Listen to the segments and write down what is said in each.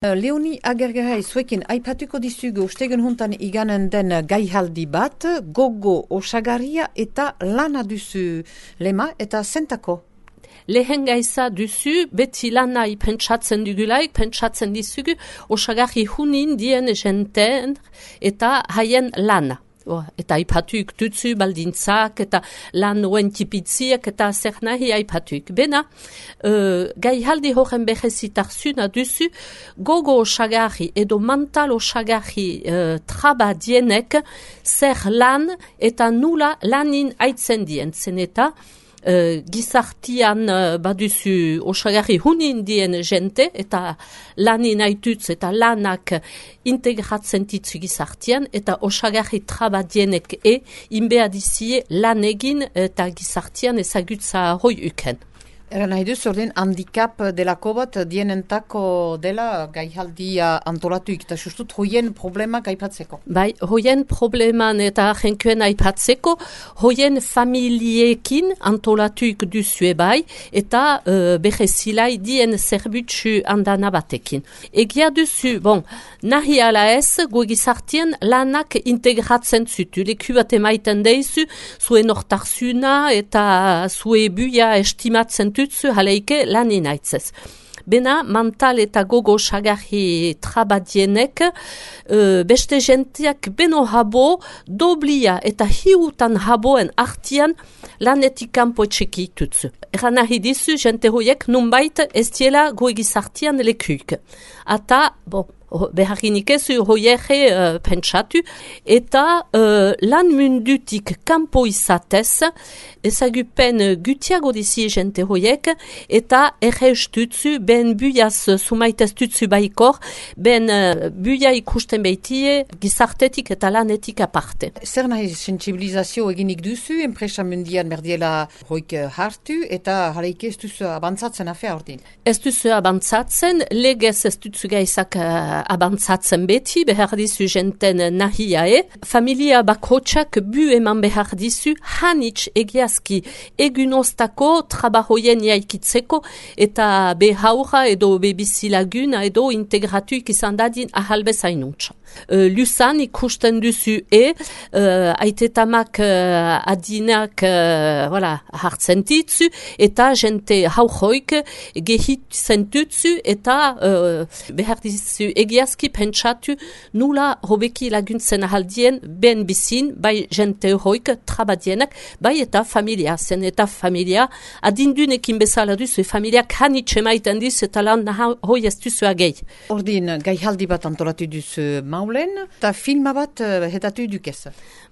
Leoni Agergarai, zuekin aipatuko dizugu ustegen juntan iganen den gaihaldi bat, gogo osagarria eta lana duzu lema eta zentako. Lehen gaiza duzu, beti lanai pentsatzen dugulaik, pentsatzen dizugu osagarri hunin dien jenten eta haien lana. Eta aipatuik dutzu baldintzak eta lan oen tipitziak eta zer nahi aipatuik. Bena, gaihaldi horren behezitartzuna duzu, gogo osagarri edo mental osagarri traba dienek zer lan eta nula lanin aitzen dien. Zen eta gizartian baduzu osagarri hunin dien jente eta lanin aitutz eta lanak integratzen ditzu gizartian eta osagarri traba dienek inbea dizie lan egin eta gizartian ezagutza hoi uken. Eran nahi duz, ordin handicap delako bat dienentako dela gaihaldia antolatuik, eta justut hoien problemak aipatzeko. Bai, hoien probleman eta jenkuen aipatzeko, hoien familiekin antolatuik duzue bai, eta behezilai dien zerbutsu handana batekin. Egia duzu, nahi ala ez, gizartien lanak integratzen zutu, leku bat emaiten deizu, zuen hortarzuna eta zue buia estimatzen tutsu haleike lanin aitzez. Bena, mental eta gogo osagarri trabadienek, beste jentiak beno habo, doblia eta hiutan haboen artian lanetik kanpo etxeki tutsu. Eran nahi dizu, jente hoiek nunbait ez diela goegizartian lekuik. Ata, beharginik ez hoiege pentsatu, eta lan mundutik kanpo izatez, ezagupen gutiago dizi jente hoiek, eta erreustutzu, ben buiaz sumaitez tutzu baikor, ben buia ikusten behtie, gizartetik eta lanetik aparte. Zer nahi sensibilizazio eginik duzu, enpresa mundian berdiela hoik hartu, eta haleike ez duzu abantzatzen afea ordin? Ez duzu abantzatzen, legez ez duzu gaizak abantzatzen beti, behar dizu jenten nahiae. Familia bakotxak bu eman behar dizu, hanitz egiazki egunoztako trabajoien jaikitzeko eta behaura edo bebisilaguna edo integratuik izan dadin ahalbezainutza. Lusan ikusten duzu aitetamak adinak hartzen ditzu eta jente haujoik gehitzen dutzu eta behar dizu egiazki pentsatu nula hobeki laguntzen ahaldien ben bizin bai jente hoik trabadienak bai eta familia zen eta familia adindunekin bezala duzu familiak hanitxe maiten dizu eta lan hoi ez duzu agei. Ordin gaihaldi bat antolatu duzu maulen, eta filma bat hetatu dukez.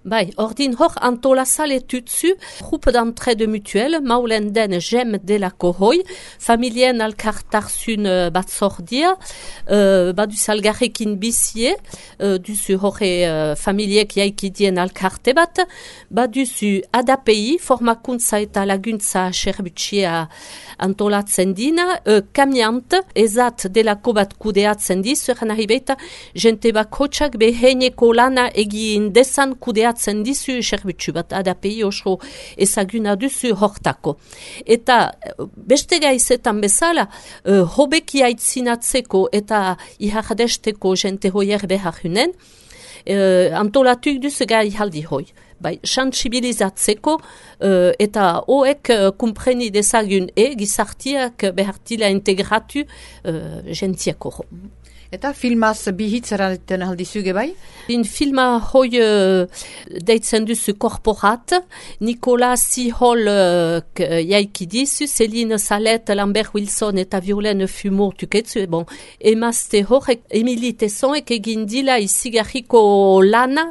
Bai, ordin hor antolazale tutsu, groupe d'entraide mutuelle, maulen den jem delako hoi, familien alkartarzun batzordia, baduz algarrekin bizie, duzu hori familiek jaikidien alkarte bat, baduzu adapei, formakuntza eta laguntza serbutxia antolatzen dina, kamiant, ezat delako bat kudeatzen dizu, eran nahi baita, jente bakotxak beheineko lana egin desan kudeatzen dizu serbutxu bat, adapei oso ezaguna duzu hortako. Eta beste gaizetan bezala, hobeki aitzinatzeko eta ihardesteko jente hoier behar hunen, antolatuik duzu gai haldi hoi. Bai, sensibilizatzeko eta hoek kumpreni dezagun gizartiak behartila integratu jentiako. Eta filmaz bihitzeraten aldizuge bai? In filma hoi deitzen duzu korporat, Nicolas Sihol jaikidizu, Céline Salet, Lambert Wilson eta Violaine Fumo tuketzu. Emazte horrek, Emily Tessonek egin dila izigarriko lana,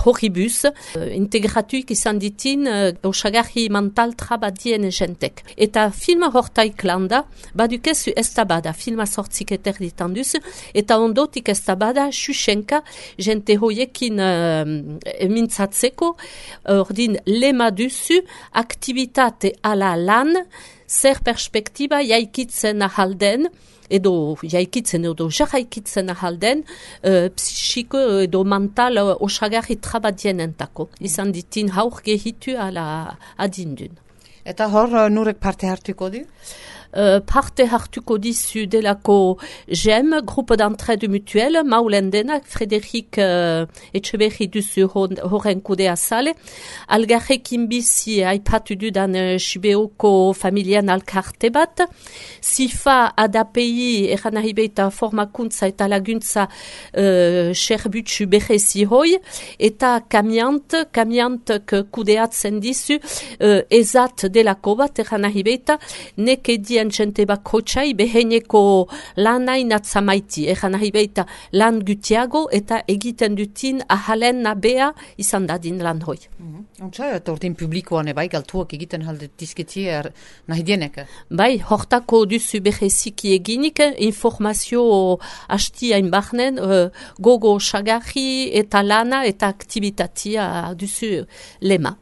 horribus, integratuik izan ditin osagarri mental trabadien jentek. Eta filma hortaik landa, badukezu estabada, filma sortzik eterditan duzu, eta ondotik estabada, Xuxenka, jente hoiekin mintzatzeko, ordin lema duzu, aktivitate ala lan, zer perspektiba jaikitzen ahalden, edo jaikitzen edo jarraikitzen ahalden, psixiko edo mental osagarri trabadienentako. Izan ditin haur gehitu ala adindun. Eta hor nurek parte hartuko du? parte hartuko dizu delako GEM, Grupo d'Entraide Mutuelle, maulen denak, Frederik Etxeberri duzu horren kudea zale, algarrekin bizi aipatu dudan Sibeoko familian alkarte bat, SIFA ADAPI eran ahibeita formakuntza eta laguntza serbutsu berezi hoi, eta kamiant kudeatzen dizu ezat delako bat eran ahibeita, neke dien jente bakotxai beheineko lanain atzamaiti, eran ahibeita lan gutiago eta egiten dutin ahalen nabea izan dadin lan hoi. Ontsa, eta ordin publikoan bai, galtuak egiten halde dizketier nahi dienek? Bai, hortako duzu beheziki eginik, informazio hastiain bahnen, gogo sagarri eta lana eta aktivitatea duzu lema.